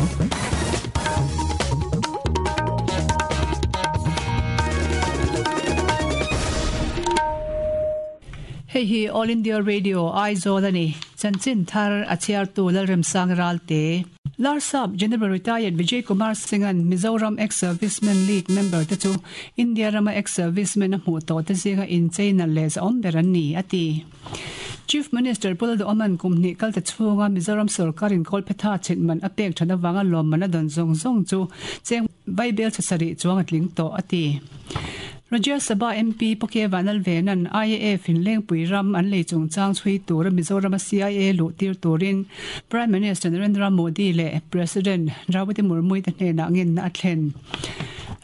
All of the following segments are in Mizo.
Hei hi All India Radio Aizawl a ni. Chanchin thar a chhiartu Lalremsang Ralte. Larsap General Retired Vijay Kumar Singh-a'n Mizoram Ex-Servicemen League member te chu India rama ex-servicemen a hmuh tawh te zinga inchei nalh leh zahawm ber an ni, a ti. Chief Minister Pu Lalduhawma'n kum hnih kal ta chhunga Mizoram sorkarin Kawlphetha chhitman a pek that avanga lawmman a dawn zawng zawng chu cheng Vaibel chhasarih chuang a tling tawh, a ti. Rajya Sabha MP Pu K Vanlalvena'n IAF in Lengpui ram an lei chungchang chhui tura Mizorama CIA luh tir turin Prime Minister Narendra Modi leh President Draupadi Murmu te hnenah ngenna a thlen.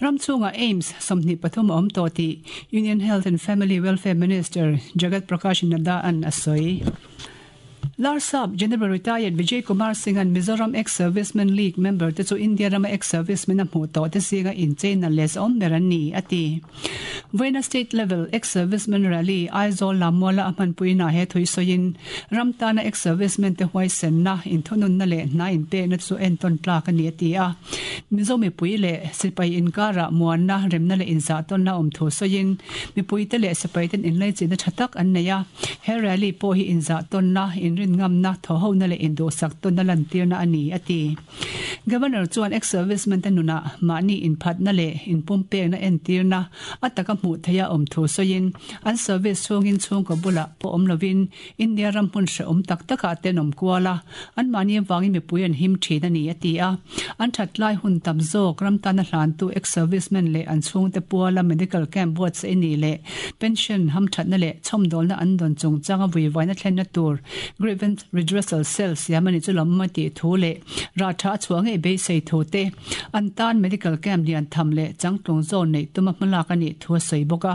Ram chhungah AIIMS 23 a awm tawh tih Union Health and Family Welfare Minister Jagat Prakash Nadda-a'n a sawi. Larsap General Retired Vijay Kumar Singh-a'n Mizoram Ex-Servicemen League member te chu India rama ex-servicemen a hmuh tawh te zinga incheina leh zahawm ber an ni, a ti. Vawiina State Level Ex-Servicemen Rally Aizawl Lammuala a hmanpuinaah he thui sawiin ram tana ex-servicemen te huaisenna, inthununna leh hna inpekna chu entawn tlak a ni, a ti a. Mizo mipui leh sipai inkarah muanna, remna leh inzahtawnna awm thu sawiin mipuite leh sipaiten inlaichinna tha tak an nei a. He rally pawh hi inzahtawnna, inrinngamna, thawhhona leh induhsak tawnna lantirna a ni, a ti. Governor chuan ex-servicemen te nunah mahni inphatna leh inpumpekna entirna a taka hmuh theiha awm thu sawiin, an service chhungin chhungkaw bulah pawh awm lovin India ram hmun hrehawm tak takah te an awm kual a, anmahni avangin mipui an him thin a ni, a ti a. An that lai hun tam zawk ram tana hlantu ex-servicemen leh an chhungte puala medical camp buatsaih ni leh pension hamthatna leh chhawmdawlna an dawn chungchanga vuivaina thlenna tur grievance redressal cell siam a ni chu lawm a tih thu leh rah tha a chhuah ngei beisei thu te an tan medical camp lian tham leh changtlung zawn neih tuma hmalak a nih thu a sawi bawk a.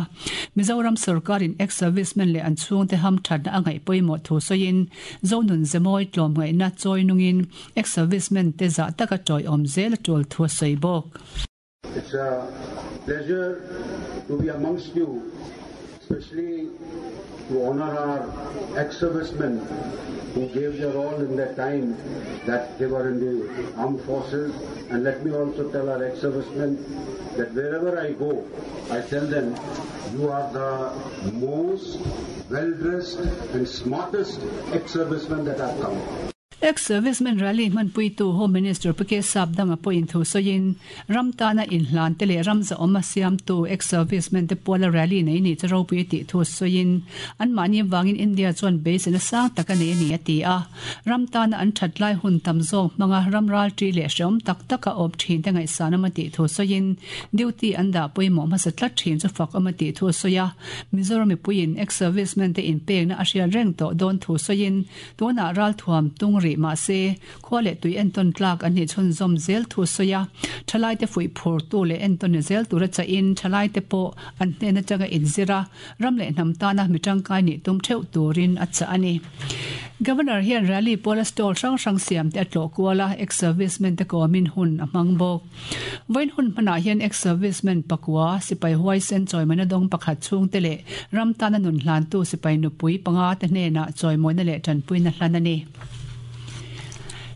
Mizoram sorkarin ex-servicemen leh an chhungte hamthatna a ngaih pawimawh thu sawiin Zonun Zemawi tlawmngaihna chawi nungin Ex-servicemen te zah taka tawiawm zel a tul thu a sawi bawk. It's a pleasure to be amongst you, especially to honour our ex-servicemen who gave their all in their time that they were in the armed forces. And let me also tell our ex-servicemen that wherever I go, I tell them, you are the most well-dressed and smartest ex-servicemen that I've come. Ex-servicemen rally hmanpuitu Home Minister Pu K Sapdanga pawhin thu sawiin, ram tana inhlan te leh ram zahawm a siamtu ex-servicemen te puala rally nei nih chu ropui a tih thu sawiin, anmahni avangin India chuan beiseina sang tak a nei a ni a ti a. Ram tana an that lai hun tam zawk hmanga ram ralṭi leh hrehawm tak taka awm ṭhin te ngaihsan awm a tih thu sawiin, duty an dah pawimawh hmasa tlat ṭhin chu fak awm a tih thu a sawi a. Mizoram mipuiin ex-servicemen te inpekna a hriat reng tawh dawn thu sawiin, Tunah ralthuam tung rih mah se, khua leh tui entawn tlak an nih chhunzawm zel thu sawi a, thalaite fuih phurtu leh entawn ni zel tura chahin thalaite pawh an hnen atanga inzir a, ram leh hnam tana mi tangkai nih tum theuh turin a chah a ni. Governor hian rally pawla stall hrang hrang siamte a tlawh kual a, ex-servicemen te kawmin hun a hmang bawk. Vawiin hun hmanah hian ex-servicemen pakua, sipai huaisen chawimawina dawng pakhat chhungte leh ram tana nun hlantu sipai nupui panga te hnenah chawimawina leh tanpuina hlan a ni.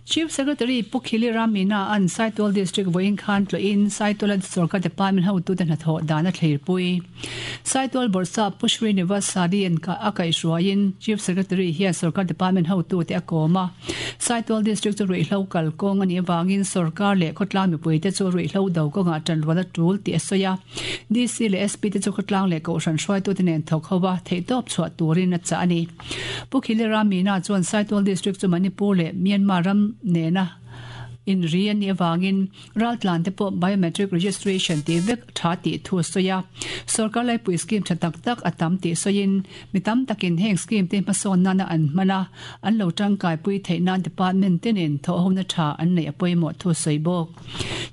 Chief Secretary Pu Khili Ramina an Saitual District vawiin khan tlawhin Saituala Sorkar Department hotute hnathawh dan a thleirpui. Saitual Bawrhsap Pu Srinivas Sadi an a kaihhruaiin Chief Secretary hian Sorkar Department hotute a kawm a. Saitual District chu ruihhlo kal kawng a nih avangin Sorkar leh khawtlang mipuite chu ruihhlo do kawngah tanrual a tul tih a sawi a. DC leh SP te chu khawtlang leh kohhran hruaitute nen thawk ho a, theihtawp chhuah turin a chah a ni. Pu Khilira Meena chuan Saitual District chu Manipur leh Myanmar ram nena inri a nih avangin Raltlan te pawh biometric registration tih vek tha tih thu a sawi a. Sorkar laipui scheme tha tak tak a tam tih sawiin mi tam takin heng scheme te hmasawn nana an hman a, an lo tangkaipui theih nan department tenin thawhhona tha an neih a pawimawh thu a sawi bawk.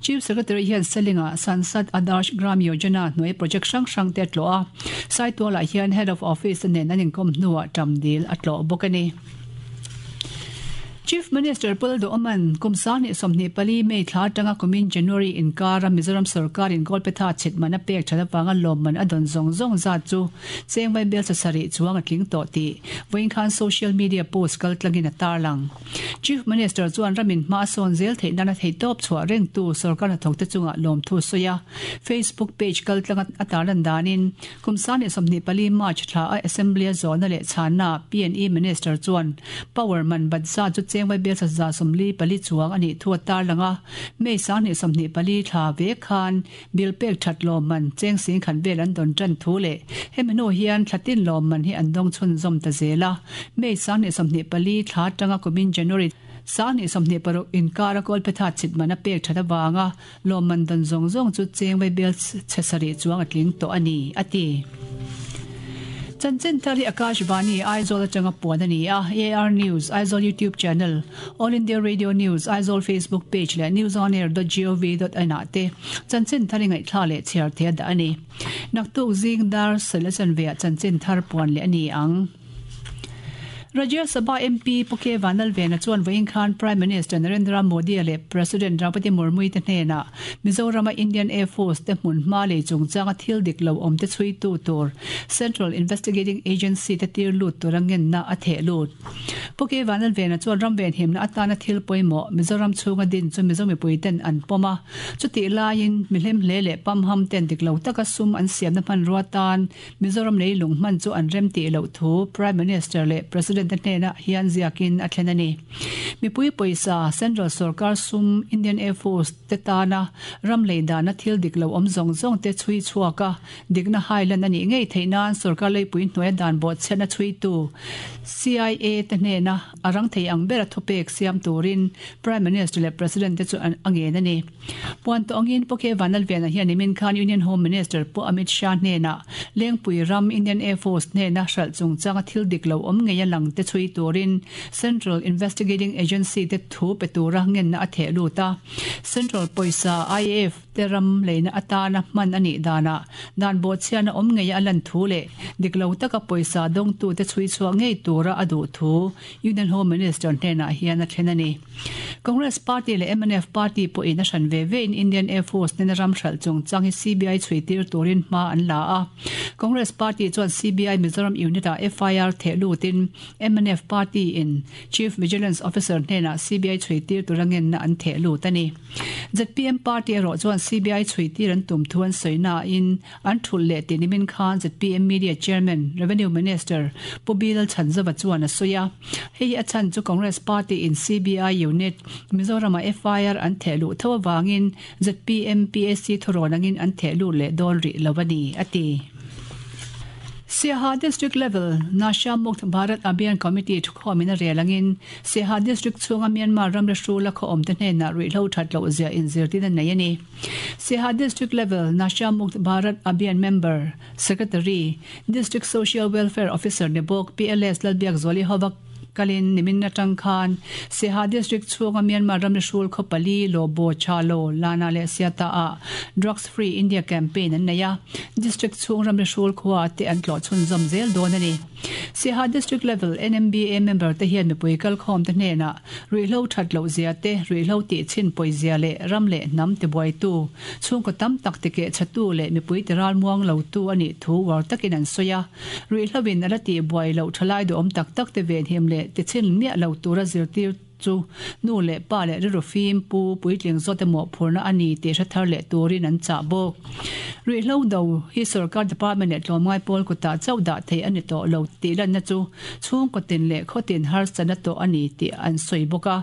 Chief Secretary hian Selinga Sansad Adarsh Gram Yojana hnuai project hrang hrang te a tlawh a, Saitualah hian Head of Office te nen an inkawm hnuah ṭam dil a tlawh bawk a ni. Chief Minister Pu Lalduhoma'n kum 2024 May thla atanga kumin January inkara Mizoram sorkarin Kawlphetha chhit man a pek that avanga lawmman a dawn zawng zawng zat chu cheng vaibel sasarih chuang a tling tawh tih vawiin khan social media post kaltlangin a tarlang. Chief Minister chuan ramin hma a sawn zel theih nana theihtawp chhuah rengtu sorkar hnathawkte chungah lawmthu a sawi a. Facebook page kaltlanga a tarlan danin Kum 2024 March thla a Assembly a zawhna leh chhanna PNE Minister chuan Power man bat zat chu cheng vaibel 144 chuang a nih thu a tarlang a, May 2024 thla vek khan bill pek that lawmman cheng singkhat vel an dawn tan thu leh hemi hnu hian thla tin lawmman hi an dawng chhunzawm ta zel a, May 2024 thla atanga kumin January 2026 inkara Kawlphetha chhitman a pek that avanga Lawmman dan zawng zawng chu cheng vaibel chhe sarih chuang a tling tawh a ni, a ti. Chanchin thar hi Akashvani, Aizawl atanga puan a ni a, AR News, Aizawl YouTube channel, All India Radio News, Aizawl Facebook page leh newsonair.gov.in ah te chanchin thar i ngaihthla leh chhiar thei a dah a ni. Naktuk zing dar sawila chanveah chanchin thar puan leh a ni ang. Rajya Sabha MP Pu K Vanlalvena chuan vawiin khan Prime Minister Narendra Modi leh President Draupadi Murmu te hnenah Mizorama Indian Air Force te hmun hma lei chungchanga thil dik lo awm te chhuitu tur Central Investigating Agency te tir lut tura ngenna a theh lut. Pu K Vanlalvena chuan ram venhimna atana thil pawimawh Mizoram chhunga din chu Mizo mipui ten an pawm a, chutih laiin mihlem hle leh pamham ten dik lo taka sum an siamna hmanrua tan Mizoram leilung hman chu an rem tih loh thu Prime Minister leh President te hnenah hian ziakin a thlen a ni. Mipui pawisa, Central sorkar sum, Indian Air Force te tana ram lei dana thil dik lo awm zawng zawng te chhui chhuak a, dikna hailan a nih ngei theih nan sorkar leipui hnuaia dan bawhchhiatna chhuitu CIA te hnena a rang thei ang bera thupek siam turin Prime Minister leh President te chu a ngen a ni. Puan tawh angin Pu K Vanlalvena hian nimin khan Union Home Minister Pu Amit Shah hnenah Lengpui ram Indian Air Force hnena hralh chungchanga thil dik lo awm ngei a lang te chhui turin Central Investigating Agency te thu pe tura ngenna a theh lut a. Central pawisa IAF te ram leina atana hman a nih danah dan bawhchhiatna awm ngei a lan thu leh dik lo taka pawisa dawngtute chhui chhuah ngei tura a duh thu Union Home Minister hnenah hian a thlen a ni. Congress Party leh mnf Party pawhin a hran ve vein Indian Air Force nena ram hralh chungchang hi CBI chhuitir turin hma an la a. Congress Party chuan CBI Mizoram Unit-ah FIR theh lutin mnf Party in Chief Vigilance Officer hnenah CBI chhuitir tura ngenna an theh lut a ni. Zpm Party erawh chuan CBI chhuitir an tum thu an sawi nain An thulh leh tih nimin khan zpm Media Chairman, Revenue Minister Pu Bilal Chhanzova chuan a sawi a. Hei hi a chhan chu Congress Party in CBI Unit, Mizoramah FIR an theh luh tho avangin zpm PAC thurawn angin an theh lut leh dawn rih lo a ni, a ti. Siaha District Level Nasha Mukt Bharat Abhiyan Committee thukhawmin a rel angin Siaha District chhunga Myanmar ramri hrula khaw awmte hnenah ruihhlo that loh zia inzirtin a nei a ni. Siaha District Level Nasha Mukt Bharat Abhiyan Member, Secretary, District Social Welfare Officer ni bawk PLS Lalbiakzuali hova kalin nimin atang khan Siaha District chhunga Myanmar ramri hrul khaw pali, Lobo, Chalo, Lana leh Siata ah Drugs Free India Campaign an nei a, District chhung ramri hrul khua te an tlawh chhunzawm zel dawn a ni. Siaha District Level NMBA member te hian mipui kalkhawm te hnenah ruihhlo that loh zia te, ruihhlo tih chhin pawi zia leh ram leh hnam tibuaitu, chhungkaw tam tak tikeh chhatu leh mipui ti ralmuang lo tu a nih thu uar takin an sawi a. Ruihhlo in a la tihbuai loh thalai duhawm tak tak te venhim leh tichhin miah lo tura zirtir Chu nu leh pa leh rilru fim pu puitling zawt emaw phurna a ni tih hre thar leh turin an chah bawk. Ruihhlo do hi sorkar department leh tlawmngai pawl kutah chauh dah theih a ni tawh lo tih lanna chu chhungkaw tin leh khaw tin harsatna tawh a ni tih an sawi bawk a.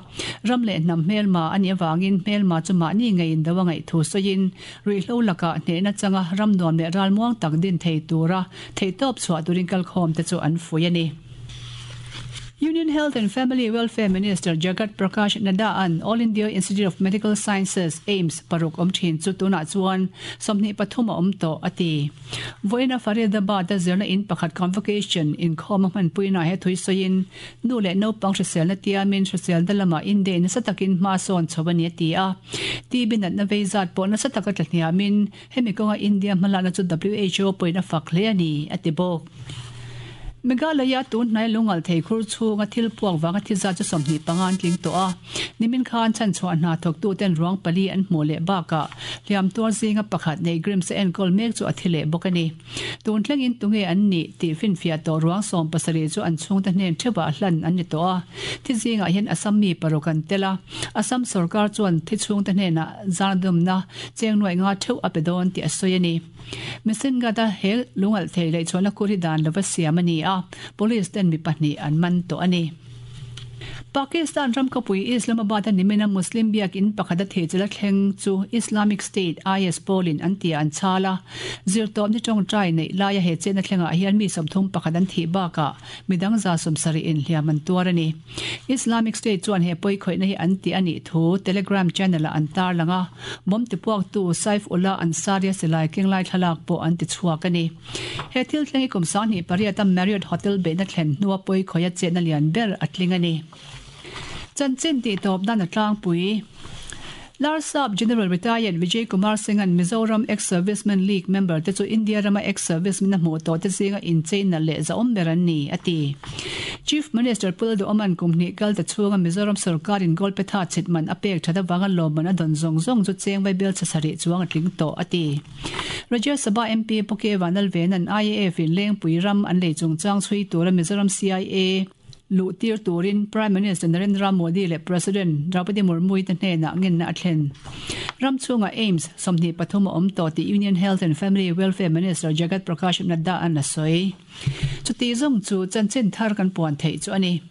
Ram leh hnam hmelma a nih avangin hmelma chu mahni ngeiin do a ngaih thu sawiin ruihhlo lakah hnehna changa ram nuam leh ralmuang tak din thei tura theihtawp chhuah turin kalkhawm te chu an fuih a ni. Union Health and Family Welfare Minister Jagat Prakash Nadda an All India Institute of Medical Sciences, AIIMS, paruk awm thin chu tunah chuan 23 a awm tawh, a ti. Vawiina Faridabad-a zirna in pakhat convocation inkhawm a hmanpuinaah he thui sawiin nu leh naupang hriselna tiamin hriselna lamah India in nasa takin hma sawn chho a ni, a ti a. TB natna vei zat pawh nasa taka tla hniamin hemi kawnga India hmalakna chu WHO pawhin a fak hle a ni, a ti bawk. Meghalaya tun hnai lungal thei khur chhunga thil puak vanga thi zat chu 25 an tling tawh a. Nimin khan chhanchhuah hna thawktuten ruang pali an hmuh leh bakah hliam tuar zinga pakhat nei Grims a enkawl mek chu a thi leh bawk a ni. Tun thlengin tunge an nih tih finfiah tawh ruang 17 chu an chhungte hnen theuhah hlan an ni tawh a. Thi zingah hian Assam mi paruk an tel a. Assam sorkar chuan thi chhungte hnenah zardumna cheng nuaih nga theuh a pe dawn tih a sawi a ni. Misingata he lungalh thei lehchhuahna kur hi dan lova siam a ni a, police ten mi pahnih an man tawh a ni. Pakistan ram khawpui Islamabad-a nimina Muslim biakinn pakhata theichilh a thleng chu Islamic State, IS, pawlin an tia an chhal a. Zirtawpni tawngtai neih laia he chetna thlengah hian mi 31 an thih bakah midang 70 inhliam an tuar a ni. Islamic State chuan he pawikhawihna hi an ti a nih thu Telegram channel-ah an tarlang a, bomb tipuaktu Saif Ullah Ansari-a silai kenglai thlalak pawh an tichhuak a ni. He thil thleng hi kum 28 a Marriott Hotel beihna thlen hnua pawikhawih a chetna lian ber a tling a ni. Chanchin tihtawp nan a tlangpui. Larsap General Retired Vijay Kumar Singh-a'n Mizoram Ex-Servicemen League member te chu India rama ex-servicemen a hmuh tawh te zinga incheina leh zahawm ber an ni, a ti. Chief Minister Pu Lalduhawma'n kum hnih kal ta chhunga Mizoram sorkarin gold petha chhit man a pek that avanga lawmman a dawn zawng zawng chu cheng vaibel chhe sarih chuang a tling tawh, a ti. Rajya Sabha MP Pu K Vanlalvena'n IAF in Lengpui ram an lei chungchang chhui tura Mizoram CIA luh tir turin Prime Minister Narendra Modi leh President Draupadi Murmu-i te hnenah ngenna a thlen. Ram chhungah AIIMS 23 a awm tawh tih Union Health and Family Welfare Minister Jagat Prakash Nadda-a'n a sawi. Chuti zawng chu chanchin thar kan puan theih chu a ni.